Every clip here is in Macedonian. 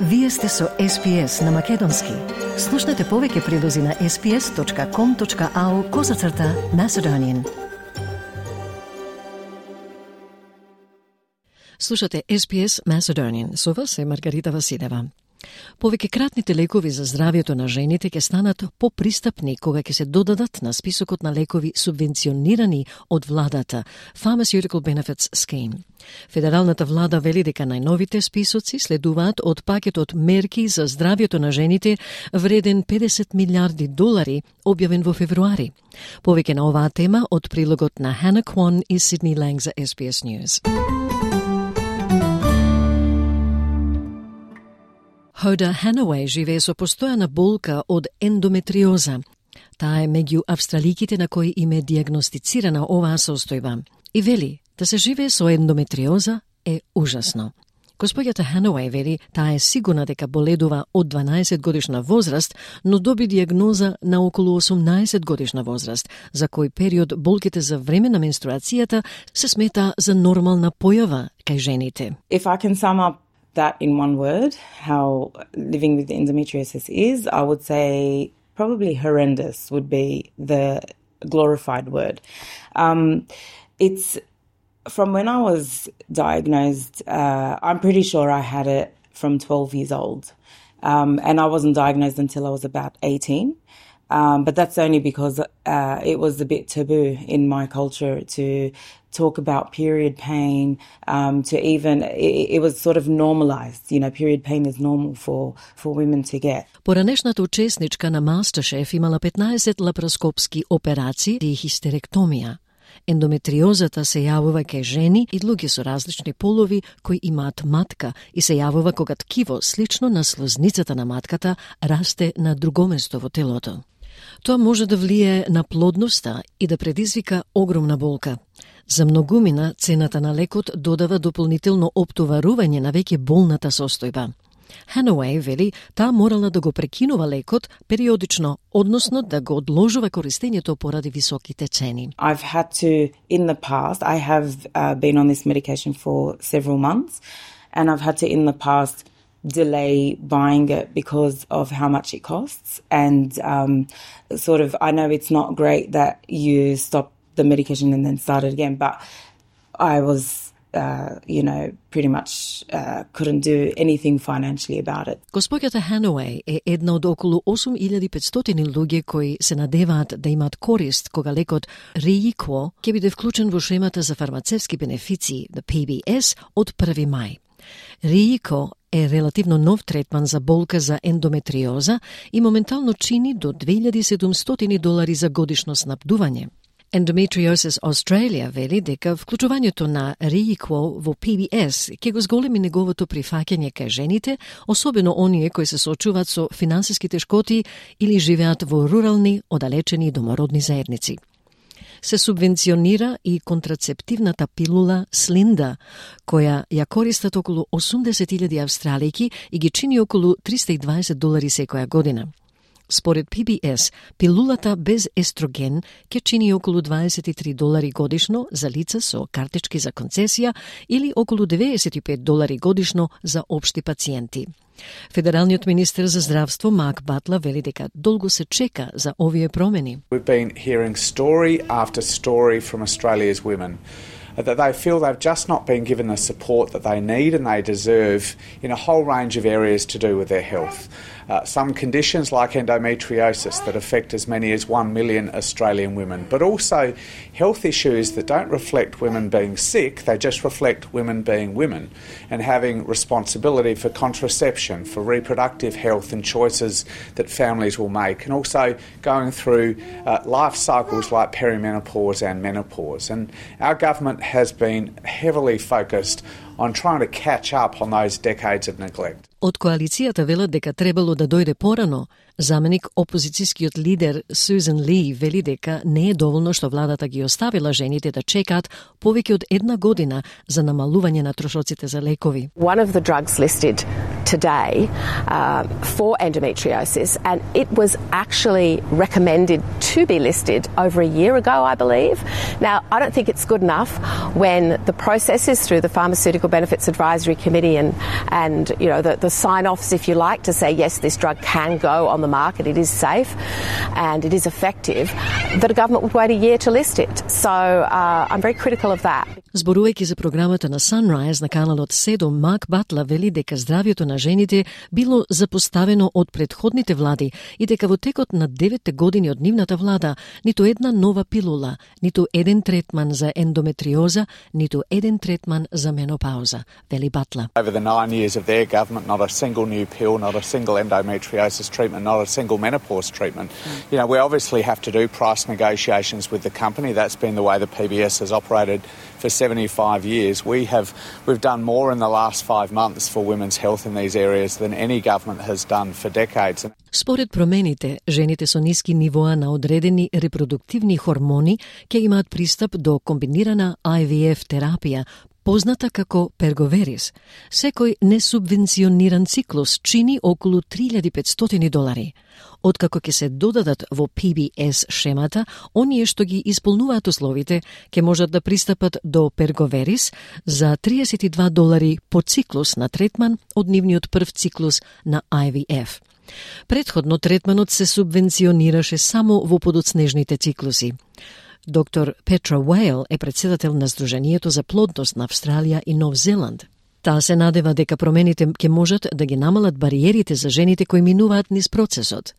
Вие сте со SPS на Македонски. Слушнете повеќе прилози на sps.com.au/Macedonian. Слушате SPS Macedonian. Со вас е Маргарита Василева. Повеќе кратните лекови за здравјето на жените ќе станат попристапни кога ќе се додадат на списокот на лекови субвенционирани од владата, Pharmaceutical Benefits Scheme. Федералната влада вели дека најновите списоци следуваат од пакетот мерки за здравјето на жените вреден $50 милиарди, објавен во февруари. Повеќе на оваа тема од прилогот на Hannah Kwon и Sydney Lang за SBS News. Hoda Hanaway живее со постојана болка од ендометриоза. Таа е меѓу австраликите на кои им е диагностицирана оваа состојба. И вели, да се живее со ендометриоза е ужасно. Господјата Hanaway вели, таа е сигурна дека боледува од 12 годишна возраст, но доби диагноза на околу 18 годишна возраст, за кој период болките за време на менструацијата се смета за нормална појава кај жените. If I can sum up that in one word, how living with endometriosis is, I would say probably horrendous would be the glorified word. It's from when I was diagnosed, I'm pretty sure I had it from 12 years old. And I wasn't diagnosed until I was about 18. But that's only because it was a bit taboo in my culture to talk about period pain, to even, it was sort of normalized. You know, period pain is normal for women to get. Поранешната учесничка на MasterChef имала 15 лапароскопски операции и хистеректомија. Ендометриозата се јавува кај жени и луѓе со различни полови кои имаат матка и се јавува кога ткиво слично на слозницата на матката расте на друго место во телото. Тоа може да влие на плодноста и да предизвика огромна болка. За многумина цената на лекот додава дополнително оптоварување на веќе болната состојба. Hanaway вели, таа морала да го прекинува лекот периодично, односно да го одложува користењето поради високите цени. I've had to, in the past, I have been on this medication for several months, and I've had to, in the past, delay buying it because of how much it costs. And sort of, I know it's not great that you stop the medication and then start it again, but I was pretty much couldn't do anything financially about it. Господјата Hanaway е една од околу 8500 луѓе кои се надеваат да имаат корист кога лекот Reequo ќе биде вклучен во шемата за фармацевски бенефиции, the PBS, од 1 мај. Reequo е релативно нов третман за болка за ендометриоза и моментално чини до $2,700 за годишно снабдување. Endometriosis Australia вели дека вклучувањето на Reequo во PBS ќе го зголеми неговото прифаќање кај жените, особено оние кои се соочуваат со финансиски тешкоти или живеат во рурални, оддалечени домородни заедници. Се субвенционира и контрацептивната пилула Slinda, која ја користат околу 80,000 австралијки и ги чини околу $320 секоја година. Според PBS, пилулата без естроген ќе чини околу $23 годишно за лица со картички за концесија или околу $95 годишно за општи пациенти. Федералниот министер за здравство Марк Батлер вели дека долго се чека за овие промени. We've been hearing story after story from Australia's women that they feel they've just not been given the support that they need and they deserve in a whole range of areas to do with their health. Some conditions like endometriosis that affect as many as 1 million Australian women, but also health issues that don't reflect women being sick, they just reflect women being women and having responsibility for contraception, for reproductive health and choices that families will make, and also going through life cycles like perimenopause and menopause. And our government has been heavily focused on trying to catch up on those decades of neglect. Од коалицијата велат дека требало да дојде порано. Заменик опозицијскиот лидер Сузан Ли вели дека не е доволно што владата ги оставила жените да чекаат повеќе од 1 година за намалување на трошоците за лекови. One of the drugs listed today for endometriosis, and it was actually recommended to be listed over a year ago, I believe. Now, I don't think it's good enough when the process is through the Pharmaceutical Benefits Advisory Committee and you know, the sign-offs, if you like, to say, yes, this drug can go on the market, it is safe and it is effective, that a government would wait a year to list it. So I'm very critical of that. Зборувајќи за програмата на Sunrise на каналот 7, Мак Батла вели дека здравјето на жените било запоставено од претходните влади и дека во текот на 9 години од нивната влада ниту една нова пилула, ниту еден третман за ендометриоза, ниту еден третман за менопауза, вели Батла. Over the 9 years of their government, not a single new pill, not a single endometriosis treatment, not a single menopause treatment. You know, we obviously have to do price negotiations with the company. That's been the way the PBS has operated for 75 years. We've done more in the last 5 months for women's health in these areas than any government has done for decades. Според промените, жените со ниски нивоа на одредени репродуктивни хормони ќе имаат пристап до комбинирана IVF терапија, позната како Перговерис. Секој несубвенциониран циклус чини околу $3,500. Откако ќе се додадат во PBS шемата, оние што ги исполнуваат условите ќе можат да пристапат до Перговерис за $32 по циклус на третман од нивниот прв циклус на IVF. Предходно третманот се субвенционираше само во подоцнежните циклуси. Доктор Петра Уейл е председател на Сдруженијето за плодност на Австралија и Нов Зеланд. Таа се надева дека промените ќе можат да ги намалат бариерите за жените кои минуваат низ процесот.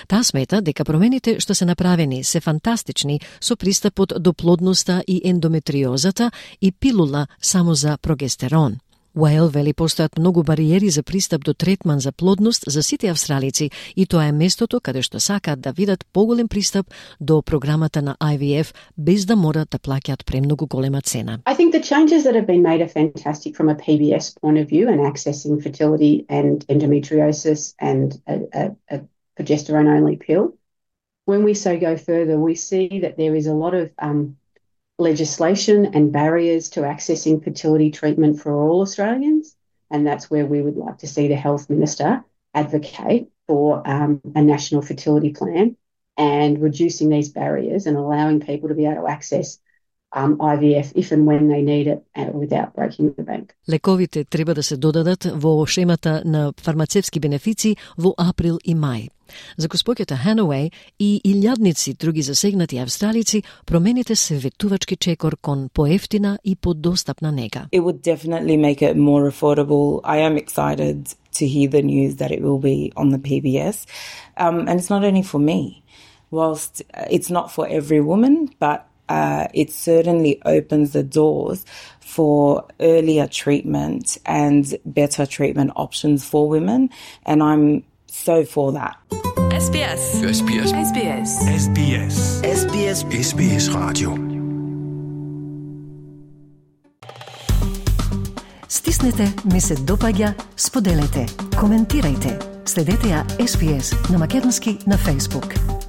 Таа смета дека промените што се направени се фантастични со пристапот до плодноста и ендометриозата и пилула само за прогестерон. Уейл вели постојат многу бариери за пристап до третман за плодност за сите австралици и тоа е местото каде што сакаат да видат поголем пристап до програмата на IVF без да морат да плаќаат премногу голема цена. I think the changes that have been made are fantastic from a PBS point of view and accessing fertility and endometriosis and a progesterone-only pill. When we go further, we see that there is a lot of legislation and barriers to accessing fertility treatment for all Australians, and that's where we would like to see the Health Minister advocate for a national fertility plan and reducing these barriers and allowing people to be able to access IVF if and when they need it without breaking the bank. Лековите треба да се додадат во шемата на фармацевски бенефици во април и мај. За госпоќата Hanaway и илјадници други засегнати австралици, промените се ветувачки чекор кон поевтина и подостапна нега. It would definitely make it more affordable. I am excited to hear the news that it will be on the PBS. And it's not only for me. Whilst it's not for every woman, but it certainly opens the doors for earlier treatment and better treatment options for women. And I'm so for that. SBS. SBS. SBS. SBS. SBS. SBS Radio. Стиснете, ми се допаѓа, споделете, коментирајте. Следете ја SBS на македонски на Facebook.